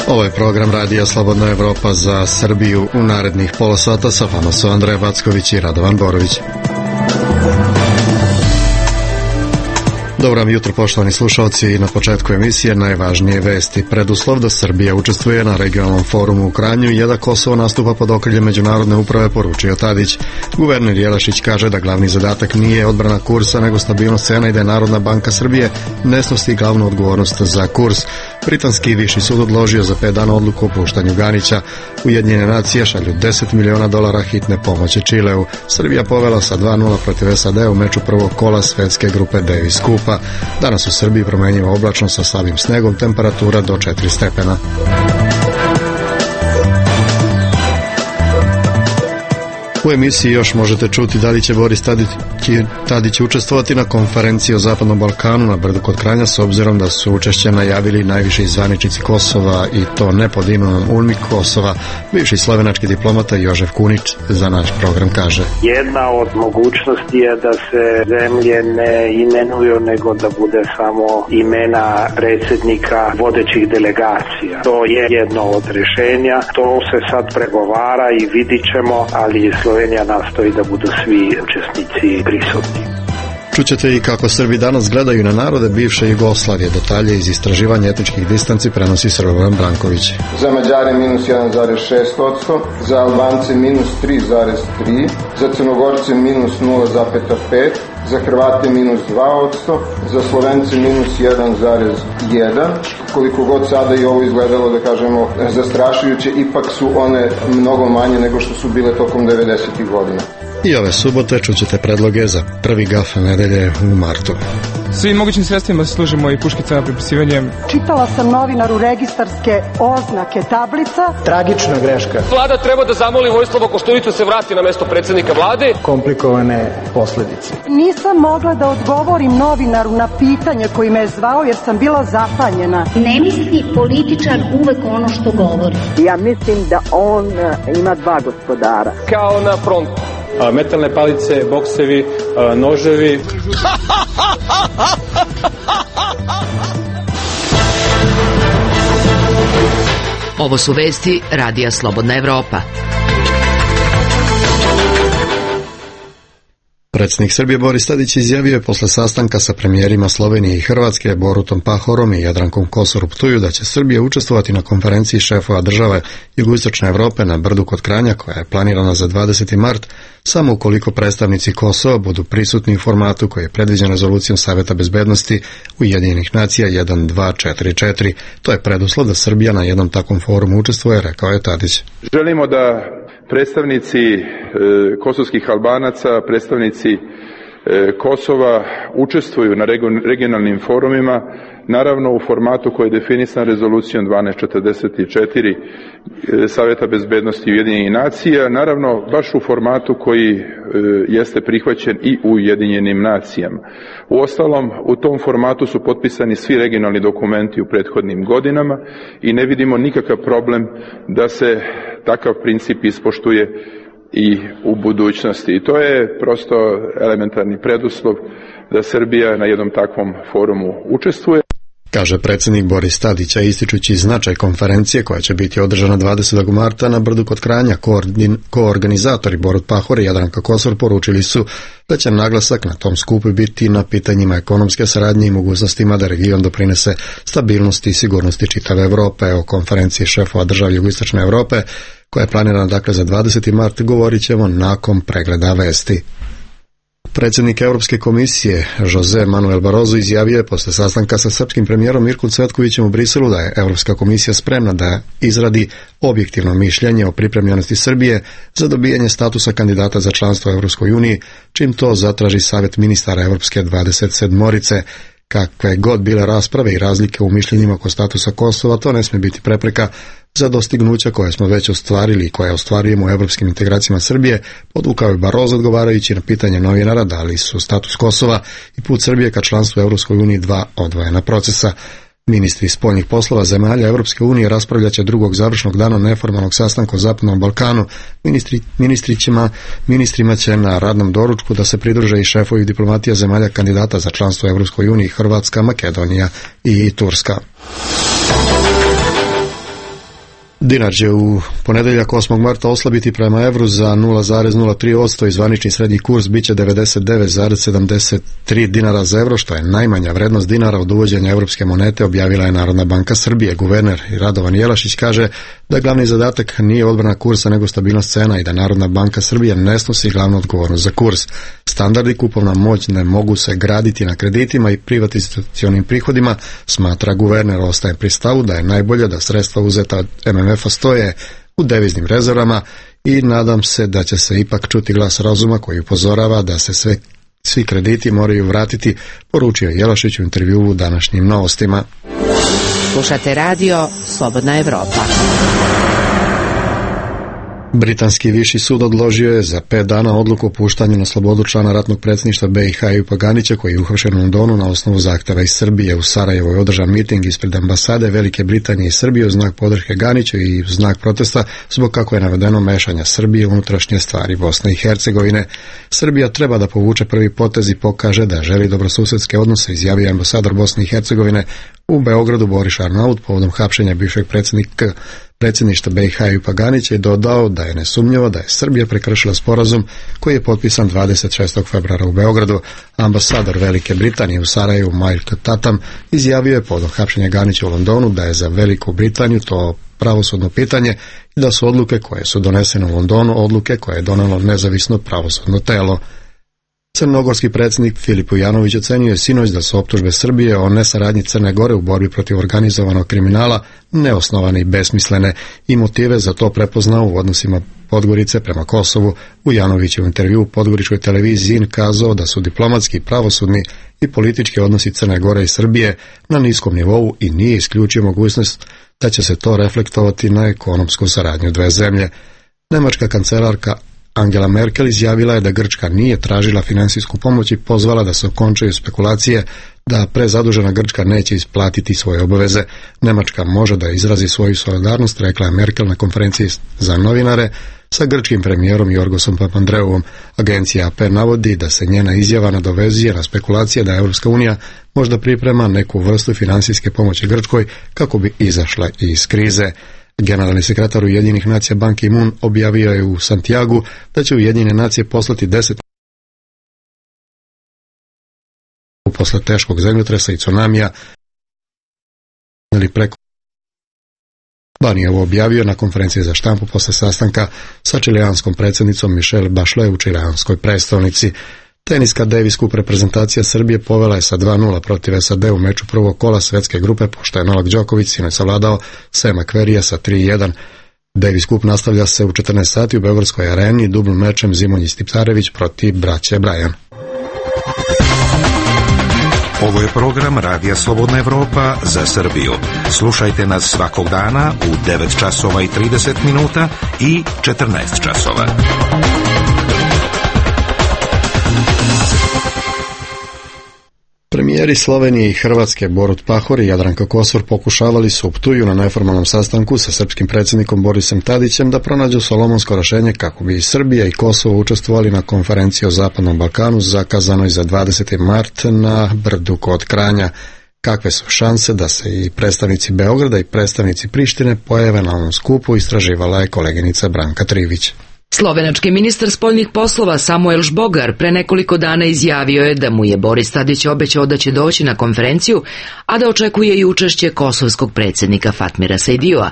Ovo je program Radija Slobodna Evropa za Srbiju. U narednih pola sata sa vama su Andreja Backović i Radovan Borović. Dobro vam jutro, poštovani slušalci, i na početku emisije najvažnije vesti. Preduslov da Srbija učestvuje na regionalnom forumu u Kranju je da Kosovo nastupa pod okriljem međunarodne uprave, poručio Tadić. Guverner Jelašić kaže da glavni zadatak nije odbrana kursa, nego stabilnost cena i da je Narodna banka Srbije ne snosi glavnu odgovornost za kurs. Britanski viši sud odložio za 5 dana odluku o puštanju Ganića. Ujedinjene nacije šalju $10 miliona hitne pomoći Čileu. Srbija povela sa 2-0 protiv SAD u meču prvog kola svetske grupe Davis Kupa. Danas u Srbiji promenjivo oblačno sa slabim snegom, temperatura do 4 stepena. U emisiji još možete čuti da li će Boris Tadić učestvovati na konferenciji o Zapadnom Balkanu na Brdu kod Kranja, s obzirom da su učešće najavili najviši zvaničnici Kosova, i to ne pod imenom UNMIK Kosova. Bivši slovenački diplomata Jožef Kunić za naš program kaže: jedna od mogućnosti je da se zemlje ne imenuju, nego da bude samo imena predsjednika vodećih delegacija. To je jedno od rješenja, to se sad pregovara i vidit ćemo, ali Slovenija nastoji da budu svi učesnici prisutni. Čućete i kako Srbi danas gledaju na narode bivše Jugoslavije. Detalje iz istraživanja etničkih distanci prenosi Srbovan Branković. Za Mađare minus 1,6%, za Albance minus 3,3%, za Crnogorce minus 0,5%, za Hrvate minus 2%, za Slovence minus 1,1%. Koliko god sada i ovo izgledalo, da kažemo, zastrašujuće, ipak su one mnogo manje nego što su bile tokom 90. godina. I ove subote čućete predloge za prvi gaf nedelje u martu. Svim mogućim sredstvima se služimo i puškicama, pripisivanjem. Čitala sam novinaru registarske oznake tablica. Tragična greška. Vlada treba da zamoli Vojislava Koštunicu se vrati na mesto predsjednika vlade. Komplikovane posledice. Nisam mogla da odgovorim novinaru na pitanje koji me je zvao jer sam bila zapanjena. Ne misli političar uvek ono što govori. Ja mislim da on ima dva gospodara. Kao na frontu. Metalne palice, boksevi, noževi. Ovo su vesti Radija Slobodna Evropa. Predsjednik Srbije Boris Tadić izjavio je posle sastanka sa premijerima Slovenije i Hrvatske Borutom Pahorom i Jadrankom Kosor u Ptuju da će Srbija učestvovati na konferenciji šefova države Jugoistočne Evrope na Brdu kod Kranja, koja je planirana za 20. mart, samo ukoliko predstavnici Kosova budu prisutni u formatu koji je predviđen rezolucijom Saveta bezbednosti Ujedinjenih nacija 1244. To je preduslov da Srbija na jednom takvom forumu učestvuje, rekao je Tadić. Želimo da predstavnici kosovskih Albanaca, predstavnici Kosova učestvuju na regionalnim forumima, naravno u formatu koji je definisan rezolucijom 1244 Saveta bezbednosti Ujedinjenih nacija, naravno baš u formatu koji jeste prihvaćen i u Ujedinjenim nacijama. Uostalom, u tom formatu su potpisani svi regionalni dokumenti u prethodnim godinama i ne vidimo nikakav problem da se takav princip ispoštuje i u budućnosti. I to je prosto elementarni preduslov da Srbija na jednom takvom forumu učestvuje. Kaže predsjednik Boris Tadić, ističući značaj konferencije koja će biti održana 20. marta na Brdu kod Kranja. Koorganizatori Borut Pahor i Jadranka Kosor poručili su da će naglasak na tom skupu biti na pitanjima ekonomske saradnje i mogućnostima da region doprinese stabilnosti i sigurnosti čitave Evrope. O konferenciji šefova država Jugoistočne Evrope, koja je planirana dakle za 20. mart, govorit ćemo nakon pregleda vesti. Predsjednik Europske komisije Jose Manuel Barroso izjavio je posle sastanka sa srpskim premijerom Mirkom Cvetkovićem u Briselu da je Europska komisija spremna da izradi objektivno mišljenje o pripremljenosti Srbije za dobijanje statusa kandidata za članstvo u Europskoj uniji, čim to zatraži Savet ministara Europske 27-orice. Kakve god bile rasprave i razlike u mišljenjima oko statusa Kosova, to ne smije biti prepreka za dostignuća koje smo već ostvarili i koje ostvarujemo u evropskim integracijama Srbije, podvukao je Barroso odgovarajući na pitanje novinara da li su status Kosova i put Srbije ka članstvu u Europskoj uniji dva odvojena procesa. Ministri spoljnih poslova zemalja Europske unije raspravljaće drugog završnog dana neformalnog sastanka o Zapadnom Balkanu. Ministrima će na radnom doručku da se pridruže i šefovi diplomatija zemalja kandidata za članstvo u Europskoj uniji, Hrvatska, Makedonija i Turska. Dinar će u ponedeljak 8. marta oslabiti prema evru za 0,03% i zvanični srednji kurs biće 99,73 dinara za evro, što je najmanja vrednost dinara od uvođenja evropske monete, objavila je Narodna banka Srbije. Guverner Radovan Jelašić kaže da glavni zadatak nije odbrana kursa nego stabilnost cena i da Narodna banka Srbije ne snosi glavnu odgovornost za kurs. Standardi kupovna moć ne mogu se graditi na kreditima i privatizacionim prihodima, smatra guverner. Ostaje pri stavu da je najbolje da sredstva uzeta od MMF-a stoje u deviznim rezervama i nadam se da će se ipak čuti glas razuma koji upozorava da se svi krediti moraju vratiti, poručio Jelašić u intervjuu u današnjim Novostima. Slušate radio Slobodna Evropa. Britanski viši sud odložio je za 5 dana odluku o puštanju na slobodu člana ratnog predsjedništva BiH Ejupa Ganića, koji je uhapšen u Londonu na osnovu zahtjeva iz Srbije. U Sarajevu je održan miting ispred ambasade Velike Britanije i Srbije u znak podrške Ganiću i u znak protesta zbog, kako je navedeno, mešanja Srbije u unutrašnje stvari Bosne i Hercegovine. Srbija treba da povuče prvi potez i pokaže da želi dobrosusedske odnose, izjavio ambasador Bosne i Hercegovine u Beogradu Boris Arnaut povodom hapšenja bivšeg predsjedništva BiH Ejupa Ganića i dodao da je nesumnjivo da je Srbija prekršila sporazum koji je potpisan 26. februara u Beogradu. Ambasador Velike Britanije u Sarajevu Michael Tatam izjavio je povodom hapšenja Ganića u Londonu da je za Veliku Britaniju to pravosudno pitanje i da su odluke koje su donesene u Londonu odluke koje je donelo nezavisno pravosudno telo. Crnogorski predsjednik Filip Ujanović ocenio je sinoć da su optužbe Srbije o nesaradnji Crne Gore u borbi protiv organizovanog kriminala neosnovane i besmislene i motive za to prepoznao u odnosima Podgorice prema Kosovu. Ujanović je u intervjuu u podgoričkoj televiziji kazao da su diplomatski, pravosudni i politički odnosi Crne Gore i Srbije na niskom nivou i nije isključio mogućnost da će se to reflektovati na ekonomsku saradnju dve zemlje. Nemačka kancelarka Angela Merkel izjavila je da Grčka nije tražila finansijsku pomoć i pozvala da se okončaju spekulacije da prezadužena Grčka neće isplatiti svoje obaveze. Nemačka može da izrazi svoju solidarnost, rekla je Merkel na konferenciji za novinare sa grčkim premijerom Jorgosom Papandreouom. Agencija AP navodi da se njena izjava nadovezuje na spekulacije da Europska unija možda priprema neku vrstu finansijske pomoći Grčkoj kako bi izašla iz krize. Generalni sekretar Ujedinjenih nacija Ban Ki-moon objavio je u Santiagu da će Ujedinjene nacije poslati 10 posle teškog zemljotresa i tsunamija ili preko. Ban je ovo objavio na konferenciji za štampu posle sastanka sa čilijanskom predsjednicom Michelle Bachelet u čilijanskoj prestolnici. Teniska Davis Cup reprezentacija Srbije povela je sa 2-0 protiv SAD u meču prvog kola svetske grupe, pošto je Novak Đoković sinoć savladao Sema Querreyja sa 3-1. Davis Cup nastavlja se u 14 sati u Beogradskoj areni dubl mečem Zimonjić Tipsarević protiv braće Brajan. Ovo je program Radija Slobodna Evropa za Srbiju. Slušajte nas svakog dana u 9 časova i 30 minuta i 14 časova. Premijeri Slovenije i Hrvatske Borut Pahor i Jadranka Kosor pokušavali su u Ptuju na neformalnom sastanku sa srpskim predsjednikom Borisom Tadićem da pronađu solomonsko rješenje kako bi i Srbija i Kosovo učestvovali na konferenciji o Zapadnom Balkanu zakazanoj za 20. mart na Brdu kod Kranja. Kakve su šanse da se i predstavnici Beograda i predstavnici Prištine pojave na ovom skupu, istraživala je koleginica Branka Trivić. Slovenački ministar spoljnih poslova Samuel Žbogar pre nekoliko dana izjavio je da mu je Boris Tadić obećao da će doći na konferenciju, a da očekuje i učešće kosovskog predsjednika Fatmira Sejdioa.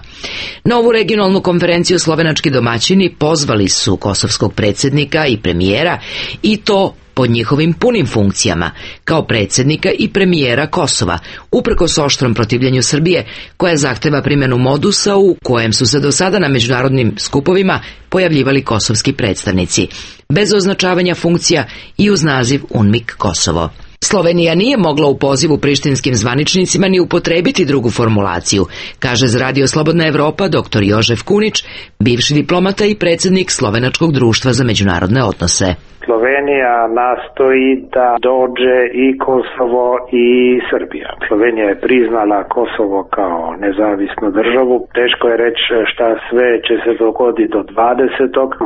Na ovu regionalnu konferenciju slovenački domaćini pozvali su kosovskog predsjednika i premijera i to pod njihovim punim funkcijama, kao predsjednika i premijera Kosova, uprkos oštrom protivljenju Srbije, koja zahteva primjenu modusa u kojem su se do sada na međunarodnim skupovima pojavljivali kosovski predstavnici, bez označavanja funkcija i uz naziv UNMIK Kosovo. Slovenija nije mogla u pozivu prištinskim zvaničnicima ni upotrebiti drugu formulaciju, kaže za Radio Slobodna Evropa dr. Jožef Kunić, bivši diplomata i predsjednik Slovenačkog društva za međunarodne odnose. Slovenija nastoji da dođe i Kosovo i Srbija. Slovenija je priznala Kosovo kao nezavisnu državu. Teško je reći šta sve će se dogoditi do 20.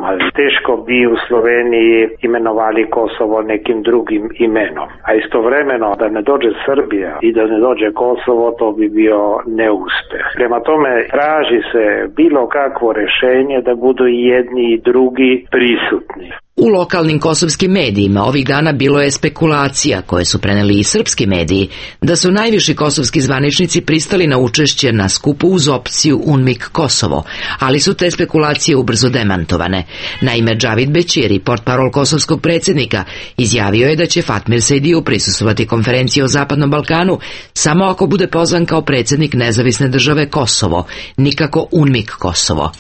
ali teško bi u Sloveniji imenovali Kosovo nekim drugim imenom. A istovremeno da ne dođe Srbija i da ne dođe Kosovo, to bi bio neuspeh. Prema tome traži se bilo kakvo rješenje da budu i jedni i drugi prisutni. U lokalnim kosovskim medijima ovih dana bilo je spekulacija, koje su preneli i srpski mediji, da su najviši kosovski zvaničnici pristali na učešće na skupu uz opciju UNMIK Kosovo, ali su te spekulacije ubrzo demantovane. Naime, Džavid Bećiri, portparol kosovskog predsjednika, izjavio je da će Fatmir Sejdiju prisustvovati konferenciji o Zapadnom Balkanu samo ako bude pozvan kao predsjednik nezavisne države Kosovo, nikako UNMIK Kosovo.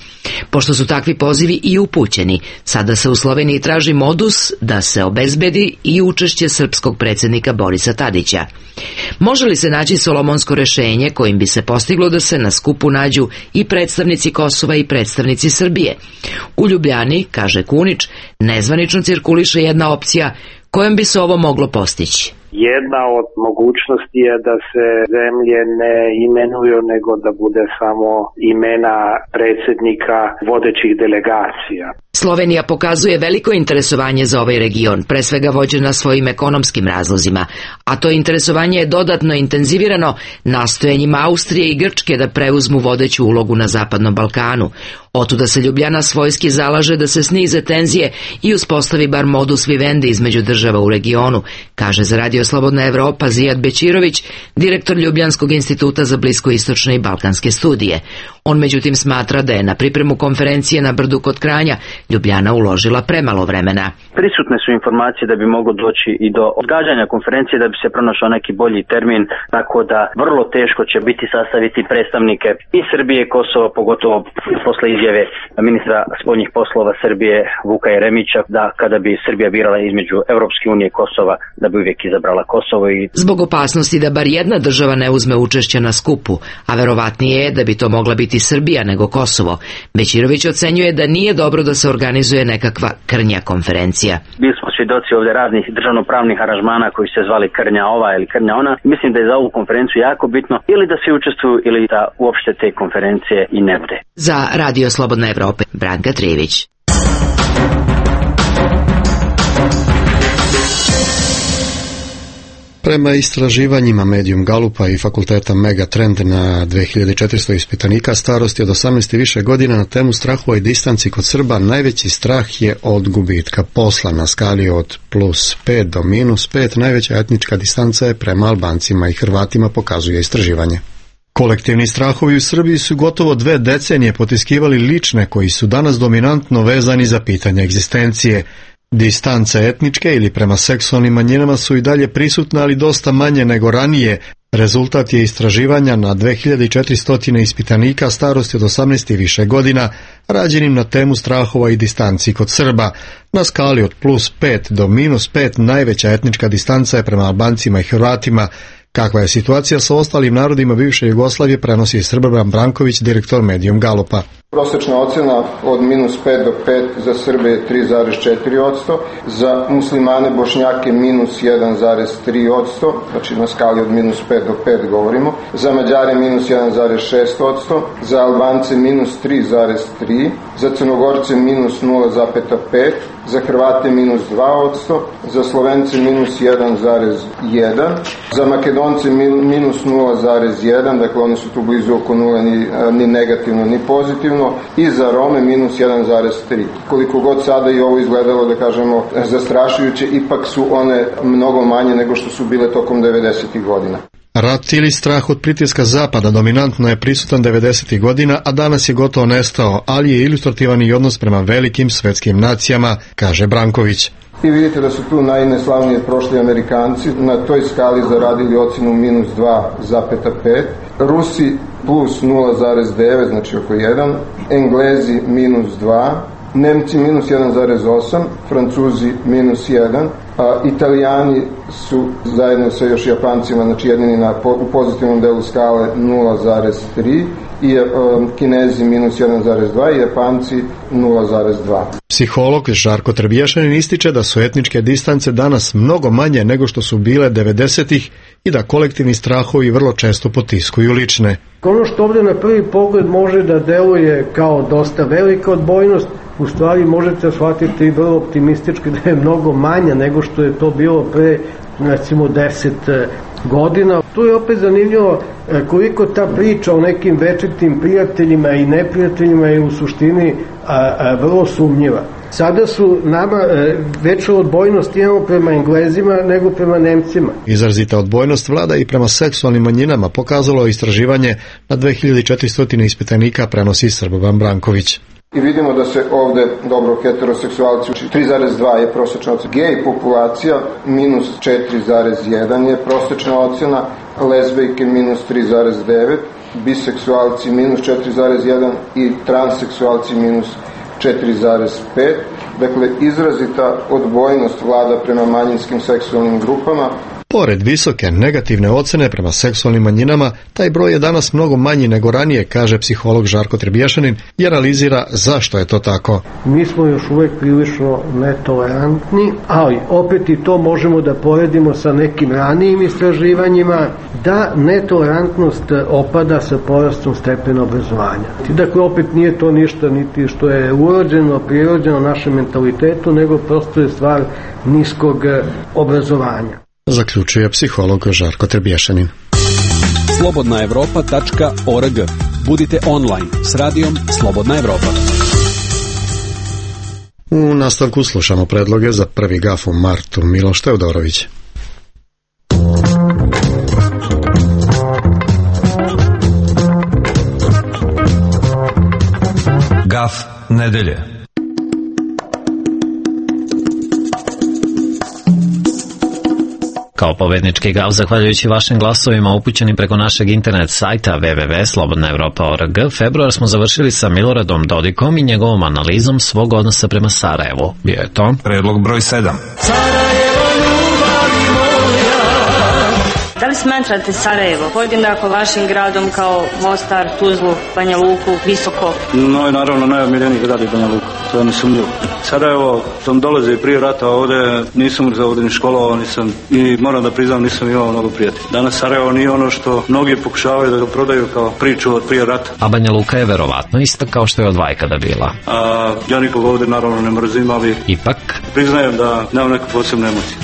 Pošto su takvi pozivi i upućeni, sada se u Sloveniji traži modus da se obezbedi i učešće srpskog predsjednika Borisa Tadića. Može li se naći solomonsko rješenje kojim bi se postiglo da se na skupu nađu i predstavnici Kosova i predstavnici Srbije? U Ljubljani, kaže Kunić, nezvanično cirkuliše jedna opcija kojom bi se ovo moglo postići. Jedna od mogućnosti je da se zemlje ne imenuju, nego da bude samo imena predsjednika vodećih delegacija. Slovenija pokazuje veliko interesovanje za ovaj region, pre svega vođena svojim ekonomskim razlozima, a to interesovanje je dodatno intenzivirano nastojanjima Austrije i Grčke da preuzmu vodeću ulogu na Zapadnom Balkanu. Otuda se Ljubljana svojski zalaže da se snize tenzije i uspostavi bar modus vivendi između država u regionu, kaže za Radio Slobodna Evropa Zijad Bećirović, direktor Ljubljanskog instituta za bliskoistočne i balkanske studije. On međutim smatra da je na pripremu konferencije na Brdu kod Kranja Ljubljana uložila premalo vremena. Prisutne su informacije da bi moglo doći i do odgađanja konferencije, da bi se pronašao neki bolji termin, tako da vrlo teško će biti sastaviti predstavnike i Srbije i Kosova, pogotovo posle izjave ministra spoljnih poslova Srbije Vuka Jeremića da kada bi Srbija birala između Evropske unije i Kosova, da bi uvijek izabrala Kosovo. Zbog opasnosti da bar jedna država ne uzme učešće na skupu, a verovatnije je da bi to mogla biti Srbija nego Kosovo, Bećirović ocenjuje da nije dobro da se organizuje nekakva krnja konferencija. Bili smo svjedoci ovdje raznih državnopravnih aranžmana koji se zvali krnja ova ili krnja ona. Mislim da je za ovu konferenciju jako bitno ili da se učestvuju ili da uopšte te konferencije i ne bude. Za Radio Slobodna Evropa, Branka Trijević. Prema istraživanjima Medium Galupa i fakulteta Megatrend na 2400 ispitanika starosti od 18 i više godina na temu strahova i distanci kod Srba, najveći strah je od gubitka posla. Na skali od +5 do -5 najveća etnička distanca je prema Albancima i Hrvatima, pokazuje istraživanje. Kolektivni strahovi u Srbiji su gotovo 2 decenije potiskivali lične koji su danas dominantno vezani za pitanje egzistencije. Distance etničke ili prema seksualnim manjinama su i dalje prisutne, ali dosta manje nego ranije. Rezultat je istraživanja na 2400 ispitanika starosti od 18 i više godina, rađenim na temu strahova i distanci kod Srba. Na skali od +5 do -5 najveća etnička distanca je prema Albancima i Hrvatima. Kakva je situacija sa ostalim narodima bivše Jugoslavije, prenosi Srboban Branković, direktor Medium Galupa. Prosječna ocjena od -5 do 5 za Srbe je 3,4%, za muslimane Bošnjake -1,3%, znači na skali od -5 do 5 govorimo, za Mađare -1,6%, za Albance -3,3%, za Crnogorce -0,5%, za Hrvate -2%, za Slovence -1,1%, za Makedonce -0,1%, dakle oni su tu blizu oko nula, ni negativno ni pozitivno, i za Rome -1,3%. Koliko god sada i ovo izgledalo, da kažemo, zastrašujuće, ipak su one mnogo manje nego što su bile tokom 90. godina. Rat ili strah od pritiska Zapada dominantno je prisutan 90. godina, a danas je gotovo nestao, ali je ilustrativan i odnos prema velikim svetskim nacijama, kaže Branković. I vidite da su tu najneslavnije prošli Amerikanci, na toj skali zaradili ocjenu -2,5, Rusi +0,9, znači oko 1, Englezi -2, Nemci -1,8, Francuzi -1, a Italijani su zajedno sa još Japancima, znači jedini u pozitivnom delu skale 0,3, i Kinezi -1,2 i Japanci 0,2. Psiholog Žarko Trebješanin ističe da su etničke distance danas mnogo manje nego što su bile 90-ih i da kolektivni strahovi vrlo često potiskuju lične. Ono što ovdje na prvi pogled može da deluje kao dosta velika odbojnost, u stvari možete shvatiti i vrlo optimistički da je mnogo manja nego što je to bilo pre recimo 10 godina. Tu je opet zanimljivo koliko ta priča o nekim večitim prijateljima i neprijateljima je u suštini vrlo sumnjiva. Sada su nama veću odbojnost imamo prema Englezima nego prema Nemcima. Izrazita odbojnost vlada i prema seksualnim manjinama pokazalo istraživanje na 2400 ispitanika, prenosi Srbovan Branković. I vidimo da se ovde dobro heteroseksualci, 3,2 je prosječna ocena, gej populacija minus 4,1 je prosječna ocena, lezbejke minus 3,9, biseksualci minus 4,1 i transseksualci minus 4,5. Dakle, izrazita odbojnost vlada prema manjinskim seksualnim grupama. Pored visoke negativne ocene prema seksualnim manjinama, taj broj je danas mnogo manji nego ranije, kaže psiholog Žarko Trebješanin i analizira zašto je to tako. Mi smo još uvek prilično netolerantni, ali opet i to možemo da poredimo sa nekim ranijim istraživanjima, da netolerantnost opada sa porastom stepena obrazovanja. Dakle, opet nije to ništa niti što je urođeno, prirođeno našem mentalitetu, nego prosto je stvar niskog obrazovanja. Zaključuje psiholog Žarko Trebješanin. Slobodnaevropa.org. Budite online s radijom Slobodna Evropa. U nastavku slušamo predloge za prvi gaf u martu. Miloš Teodorović. Gaf nedelje. Kao pobednički gaf, zahvaljujući vašim glasovima upućenim preko našeg internet sajta www.slobodnaevropa.org, februar smo završili sa Miloradom Dodikom i njegovom analizom svog odnosa prema Sarajevu. Bio je to predlog broj 7. Da li smatrate Sarajevo podjednako vašim gradom kao Mostar, Tuzlu, Banja Luku, Visoko? No i naravno najomiljeniji grad je Banja Luka, to je nesumnjivo. Sarajevo sam dolazi prije rata ovdje, nisam za ovdje ni školovao, nisam i moram da priznam nisam imao mnogo prijatelja. Danas Sarajevo nije ono što mnogi pokušavaju da ga prodaju kao priču od prije rata. A Banja Luka je verovatno ista kao što je od Vajkada bila. Ja nikog ovdje naravno ne mrzim, ali ipak priznajem da nemam neku posebnu emociju.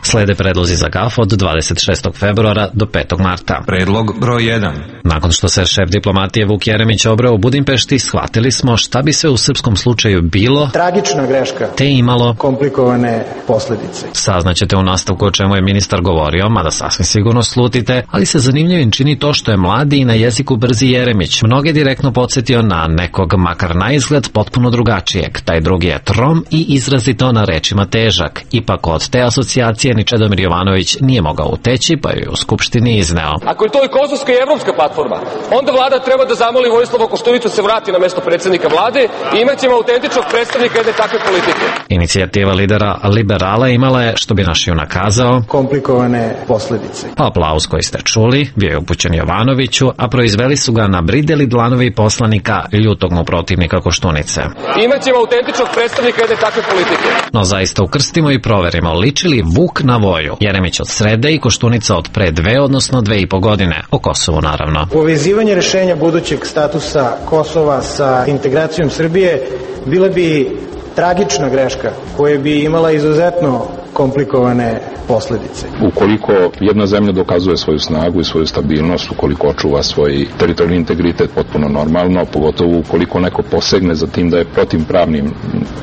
Slede predlozi za gaf od 26. februara do 5. marta. Predlog broj 1. Nakon što se šef diplomatije Vuk Jeremić obreo u Budimpešti, shvatili smo šta bi sve u srpskom slučaju bilo tragična greška, te imalo komplikovane posljedice. Saznaćete u nastavku o čemu je ministar govorio, mada sasvim sigurno slutite, ali se zanimljivim čini to što je mladi i na jeziku brzi Jeremić mnoge direktno podsjetio na nekog, makar na izgled, potpuno drugačijeg. Taj drugi je trom i izrazito na rečima težak. Ipak od te asocijacije ni Čedomir Jovanović nije mogao uteći, pa je u Skupštini izneo. Ako je to i kosovska i evropska platforma, onda vlada treba da zamoli Vojislava Koštunicu se vrati na mesto predsjednika vlade i imat ćemo autentičnog predstavnika jedne takve politike. Inicijativa lidera liberala imala je, što bi naš junak kazao, komplikovane posljedice. Aplauz koji ste čuli bio je upućen Jovanoviću, a proizveli su ga nabrideli dlanovi poslanika ljutog mu protivnika Koštunice. Imat ćemo autentičnog predstavnika jedne takve politike. No zaista ukrstimo i proverimo, liči li Vuk na Voju? Jeremić od srede i Koštunica od pre 2, odnosno 2,5 godine. O Kosovu naravno. Povezivanje rešenja budućeg statusa Kosova sa integracijom Srbije bila bi tragična greška koja bi imala izuzetno komplikovane posljedice. Ukoliko jedna zemlja dokazuje svoju snagu i svoju stabilnost, ukoliko očuva svoj teritorijalni integritet potpuno normalno, pogotovo ukoliko neko posegne za tim da je protivpravnim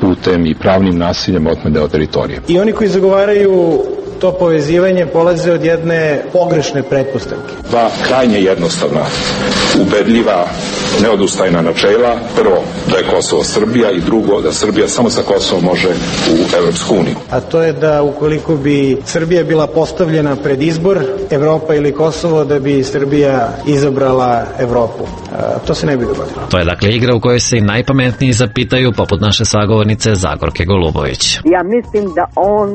putem i pravnim nasiljem otme deo teritorije. I oni koji zagovaraju to povezivanje polaze od jedne pogrešne pretpostavke. Dva krajnje jednostavna, ubedljiva, neodustajna načela. Prvo, da je Kosovo Srbija i drugo, da Srbija samo sa Kosovom može u Evropsku uniju. A to je da ukoliko bi Srbija bila postavljena pred izbor Evropa ili Kosovo, da bi Srbija izabrala Evropu. To se ne bi dogodilo. To je dakle igra u kojoj se i najpametniji zapitaju, poput naše sagovornice Zagorke Golubović. Ja mislim da on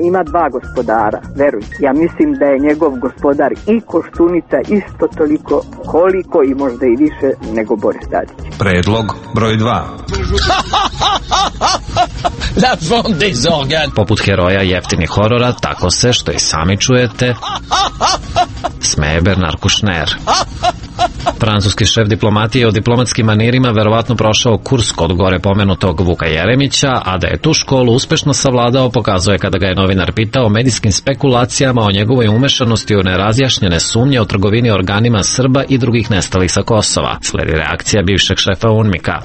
ima dva gospodara. para, veruj. Ja mislim da je njegov gospodar i Koštunica isto toliko koliko i možda i više nego Boris Tadić. Predlog broj 2. La vente des organes. Poput heroja jeftinih horora, tako se, što i sami čujete, smeje Bernard Kouchner. Francuski šef diplomatije o diplomatskim manirima verovatno prošao kurs kod gore pomenutog Vuka Jeremića, a da je tu školu uspešno savladao pokazuje kada ga je novinar pitao o medijskim spekulacijama o njegovoj umešanosti u nerazjašnjene sumnje o trgovini organima Srba i drugih nestalih sa Kosova. Sledi reakcija bivšeg šefa UNMIK-a.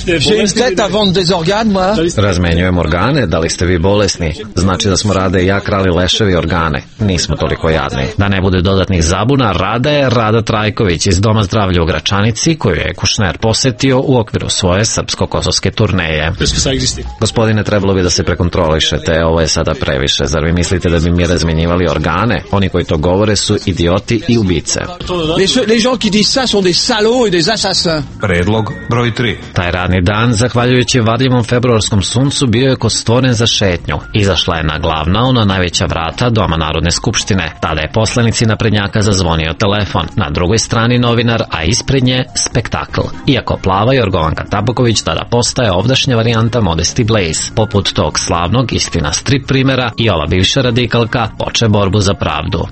Razmenjujem organe, da li ste vi bolesni? Znači da smo Rada i ja krali leševi organe. Nismo toliko jadni. Da ne bude dodatnih zabuna, Rada je Rada Trajković iz Doma zdravlja u Gračanici, koju je Kouchner posetio u okviru svoje srpsko-kosovske turneje. Gospodine, trebalo bi da se prekontrolišete, ovo je sada previše. Zar vi mislite da bi mi razmenjivali organe? Oni koji to govore su idioti i ubice. Predlog broj 3. Taj radni dan, zahvaljujući varljivom februarskom suncu, bio je ko stvoren za šetnju. Izašla je na glavna, ona najveća vrata Doma Narodne skupštine. Tada je poslanici naprednjaka zazvonio telefon. Na drugoj strani novinar, a ispred nje spektakl. Iako plava Jorgovanka Tabaković tada postaje ovdašnja varijanta Modesty Blaze. Poput tog slavnog, istina strip primera, i ova bivša radikalka poče borbu za pravdu.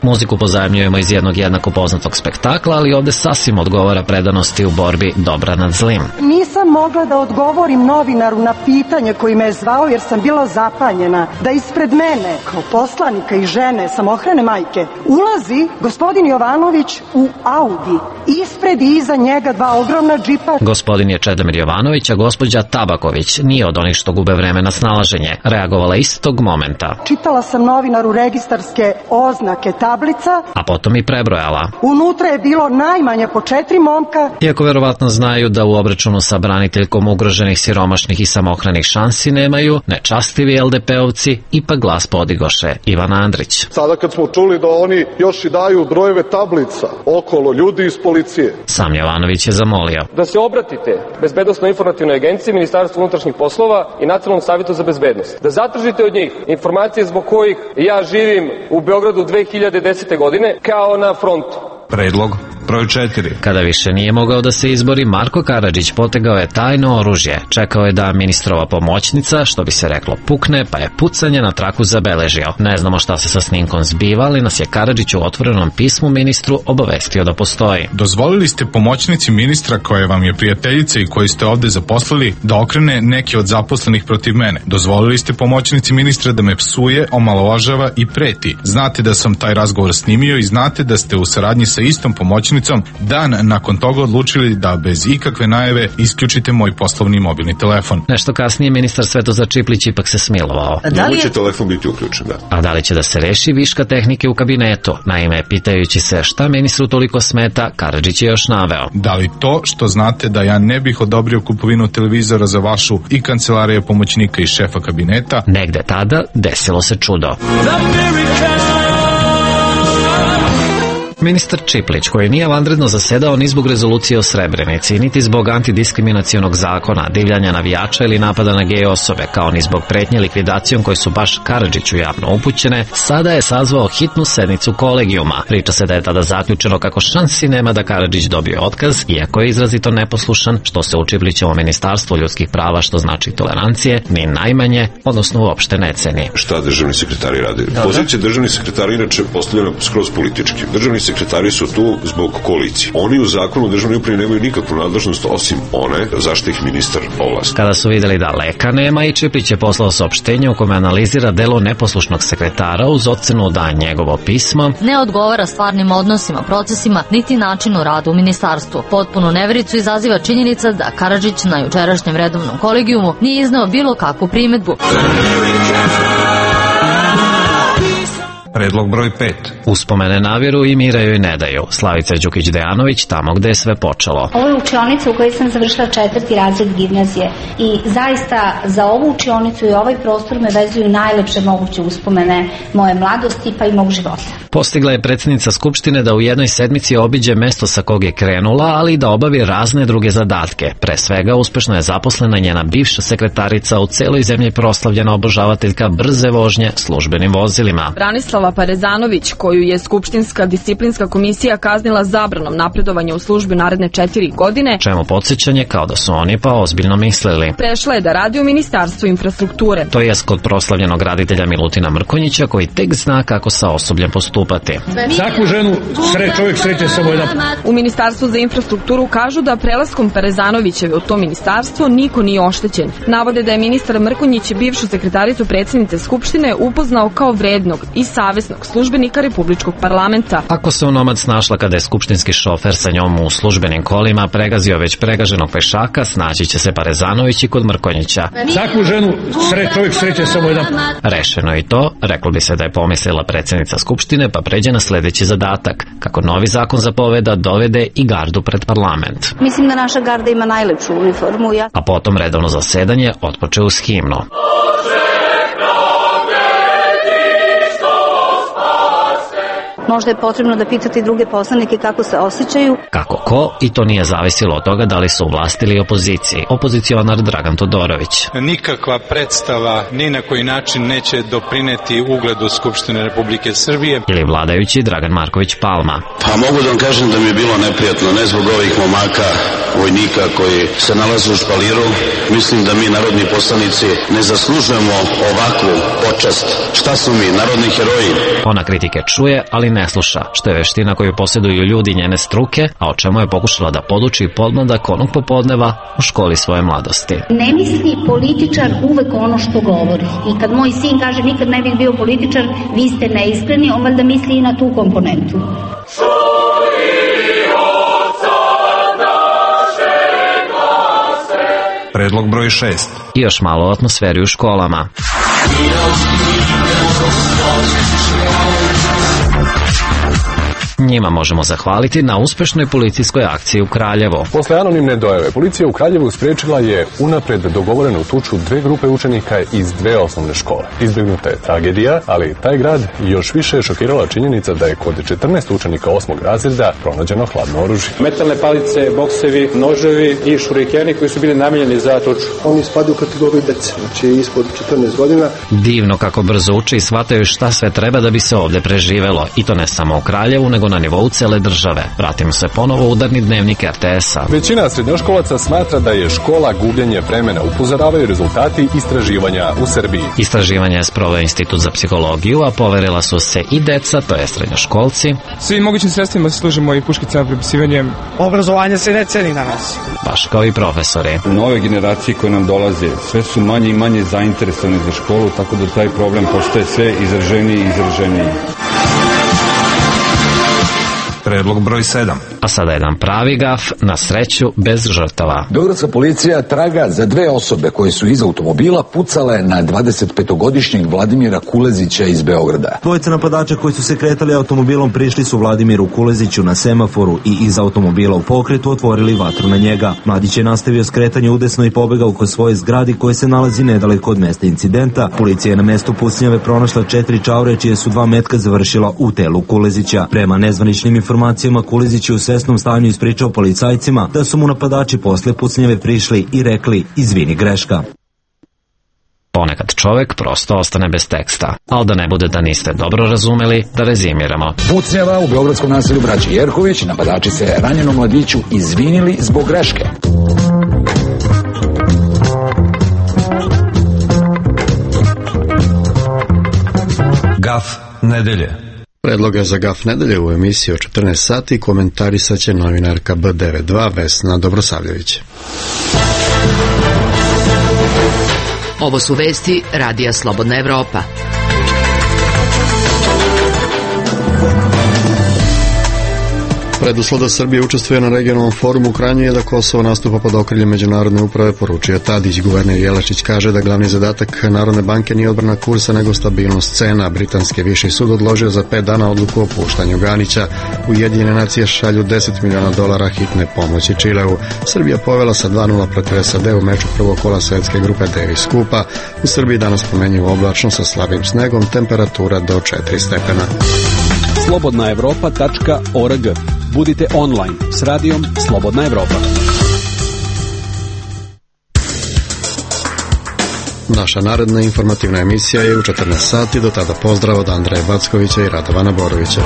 Muziku pozajemljujemo iz jednog jednako poznatog spektakla, ali ovde sasvim odgovara predanosti u borbi dobra nad zlim. Nisam mogla da odgovorim novinaru na pitanje koji me je zvao jer sam bila zapanjena da ispred mene, kao poslanika i žene samohrane majke, ulazi gospodin Jovanović u Audi. Ispred i iza njega dva ogromna džipa. Gospodin je Čedomir Jovanović, a gospođa Tabaković nije od onih što gube vreme na snalaženje. Reagovala istog momenta. Čitala sam novinaru registarske oznake tablica, a potom i prebrojala. Unutra je bilo najmanje po 4 momka. Iako verovatno znaju da u obračunu sa braniteljkom ugroženih, siromašnih i samohranih šansi nemaju, nečastivi LDP-ovci ipak glas podigoše. Ivana Andrić. Sada kad smo čuli da oni još i daju brojeve tablica okolo ljudi iz policije. Sam Jovanović je zamolio da se obratite Bezbednosno-informativnoj agenciji, Ministarstvu unutrašnjih poslova i Nacionalnom savetu za bezbednost. Da zatražite od njih informacije zbog kojih ja živim u Beogradu 2010. godine kao na frontu. Predlog broj 4. Kada više nije mogao da se izbori, Marko Karadžić potegao je tajno oružje. Čekao je da ministrova pomoćnica, što bi se reklo, pukne, pa je pucanje na traku zabeležio. Ne znamo šta se sa snimkom zbiva, ali nas je Karadžić u otvorenom pismu ministru obavestio da postoji. Dozvolili ste pomoćnici ministra koja vam je prijateljica i koju ste ovde zaposlili da okrene neki od zaposlenih protiv mene. Dozvolili ste pomoćnici ministra da me psuje, omalovažava i preti. Znate da sam taj razgovor snimio i znate da ste u saradnji sa istom pomoćnicom dan nakon toga odlučili da bez ikakve najave isključite moj poslovni mobilni telefon. Nešto kasnije ministar Svetozar Čiplić ipak se smilovao. Njemu će telefon biti uključen, da. A da li će da se reši viška tehnike u kabinetu? Naime, pitajući se šta ministru toliko smeta, Karadžić je još naveo. Da li to što znate da ja ne bih odobrio kupovinu televizora za vašu i kancelarije pomoćnika i šefa kabineta? Negde tada desilo se čudo. Ministar Čiplić, koji nije vanredno zasedao ni zbog rezolucije o Srebrenici, niti zbog antidiskriminacionog zakona, divljanja navijača ili napada na gej osobe, kao ni zbog pretnje likvidacijom koje su baš Karadžiću javno upućene, sada je sazvao hitnu sednicu kolegijuma. Priča se da je tada zaključeno kako šansi nema da Karadžić dobije otkaz, iako je izrazito neposlušan, što se u Čiplićevom ministarstvu ljudskih prava, što znači tolerancije, ni najmanje, odnosno uopšte ne ceni. Šta državni sekretari radi? Pozicija državnih sekretara inače postavljena skroz politički. Državni sekretari su tu zbog koalicije. Oni u zakonu o državnoj upravi nemaju nikakvu nadležnost osim one zašto ih ministar ovlasti. Kada su videli da leka nema, i Čiplić je poslao saopštenje u kome analizira delo neposlušnog sekretara uz ocenu da njegovo pismo ne odgovara stvarnim odnosima, procesima, niti načinu rada u ministarstvu. Potpunu nevericu izaziva činjenica da Karadžić na jučerašnjem redovnom kolegijumu nije izneo bilo kakvu primedbu. Predlog broj 5. Uspomene naviru i mira joj ne daju. Slavica Đukić-Dejanović tamo gde je sve počelo. Ovo je učionica u kojoj sam završila 4. razred gimnazije i zaista za ovu učionicu i ovaj prostor me vezuju najlepše moguće uspomene moje mladosti pa i mog života. Postigla je predsjednica Skupštine da u jednoj sedmici obiđe mesto sa kog je krenula, ali i da obavi razne druge zadatke. Pre svega, uspešno je zaposlena njena bivša sekretarica, u celoj zemlji proslavljena obožavateljka brze vožnje službenim vozilima. Branislava Parezanović, koju je Skupštinska disciplinska komisija kaznila zabranom napredovanja u službi naredne 4 godine, čemu podsjećanje kao da su oni pa ozbiljno mislili. Prešla je da radi u Ministarstvu infrastrukture. To je kod proslavljenog raditelja Milutina Mrkonjića, koji tek zna kako sa osobljem postupati. Svaku ženu čovjek sreće samo jedan. U Ministarstvu za infrastrukturu kažu da prelaskom Parezanovićeve u to ministarstvo niko nije oštećen. Navode da je ministar Mrkonjić bivšu sekretaricu predsjednice Skupštine upoznao kao vrednog i savesnog službenika Republičkog parlamenta. Ako se onomad snašla kada je skupštinski šofer sa njom u službenim kolima pregazio već pregaženog pešaka, snaći će se Parezanović i kod Mrkonjića. Svaku ženu čovjek sreće samo jedan. Rešeno i to, reklo bi se da je pomislila predsjednica Skupštine, pa pređe na sledeći zadatak, kako novi zakon zapoveda dovede i gardu pred parlament. Mislim da naša garda ima najlepšu uniformu. A potom redovno zasedanje otpoče uz himnu. Možda je potrebno da pitati druge poslanike kako se osjećaju. Kako ko, i to nije zavisilo od toga da li su u vlasti ili opoziciji. Opozicionar Dragan Todorović. Nikakva predstava ni na koji način neće doprineti ugledu Skupštine Republike Srbije. Ili vladajući Dragan Marković Palma. Pa mogu da vam kažem da mi je bilo neprijatno, ne zbog ovih momaka, vojnika koji se nalaze u špaliru. Mislim da mi, narodni poslanici, ne zaslužujemo ovakvu počast. Šta su mi, narodni heroji? Ona kritike čuje, ali ne sluša, što je veština koju posjeduju ljudi njene struke, a o čemu je pokušala da poduči podmladak onog popodneva u školi svoje mladosti. Ne misli političar uvek ono što govori. I kad moj sin kaže nikad ne bih bio političar, vi ste neiskreni, on valjda misli i na tu komponentu. Predlog broj 6. I još malo o atmosferi u školama. Njima možemo zahvaliti na uspešnoj policijskoj akciji u Kraljevu. Posle anonimne dojave, policija u Kraljevu sprečila je unapred dogovorenu tuču dve grupe učenika iz dve osnovne škole. Izbjegnuta je tragedija, ali taj grad još više je šokirala činjenica da je kod 14 učenika 8. razreda pronađeno hladno oružje. Metalne palice, boksevi, noževi i šurikeni koji su bili namijenjeni za tuču. Oni spadaju u kategoriju dece, znači ispod 14 godina. Divno kako brzo uče i shvataju šta sve treba da bi se ovde preživelo. I to ne samo u Kraljevu, nego na nivou cele države. Vratimo se ponovo u udarni dnevnik RTS-a. Većina srednjoškolaca smatra da je škola gubljenje vremena, upozoravaju rezultati istraživanja u Srbiji. Istraživanje je sproveo Institut za psihologiju, a poverila su se i deca, to je srednjoškolci. Svim mogućim sredstvima se služimo i puškicama, prepisivanjem. Obrazovanje se ne ceni danas. Baš kao i profesori. Nove generacije koje nam dolaze, sve su manje i manje zainteresovane za školu, tako da taj problem postaje sve izraženiji i izraženiji. Predlog broj 7. A sada jedan pravi gaf, na sreću bez žrtava. Beogradska policija traga za dve osobe koje su iz automobila pucale na 25-godišnjeg Vladimira Kulezića iz Beograda. Dvojica napadača koji su se kretali automobilom prišli su Vladimiru Kuleziću na semaforu i iz automobila u pokretu otvorili vatru na njega. Mladić je nastavio skretanje udesno i pobegao kod svoje zgradi koje se nalazi nedaleko od mesta incidenta. Policija je na mestu pucnjave pronašla 4 čaure čije su 2 metka završila u telu Kulezića. Prema nezvaničnim informacijama, Kulezić je u svesnom stanju ispričao policajcima da su mu napadači posle pucnjave prišli i rekli izvini, greška. Ponekad čovek prosto ostane bez teksta, ali da ne bude da niste dobro razumeli, da rezimiramo. Pucnjava u beogradskom naselju braće Jerković, napadači se ranjenom mladiću izvinili zbog greške. Gaf nedelje. Predloge za gaf nedelje u emisiji o 14 sati komentarisat će novinarka B92 Vesna Dobrosavljević. Ovo su vesti Radija Slobodna Evropa. Preduslov da Srbija učestvuje na regionalnom forumu u Kranju je da Kosovo nastupa pod okriljem međunarodne uprave, poručio Tadić. Guverner Jelačić kaže da glavni zadatak Narodne banke nije odbrana kursa nego stabilnost cena. Britanski viši sud odložio za 5 dana odluku o puštanju Ganića. Ujedinjene nacije šalju $10 miliona hitne pomoći Čileu. Srbija povela sa 2:0 protiv SAD u meču prvog kola svetske grupe Davis Kupa. U Srbiji danas pomenju oblačno sa slabim snegom, temperatura do 4 stepena. slobodnaevropa.org. Budite online s radijom Slobodna Evropa. Naša naredna informativna emisija je u 14 sati. Do tada pozdrav od Andreja Backovića i Radovana Borovića.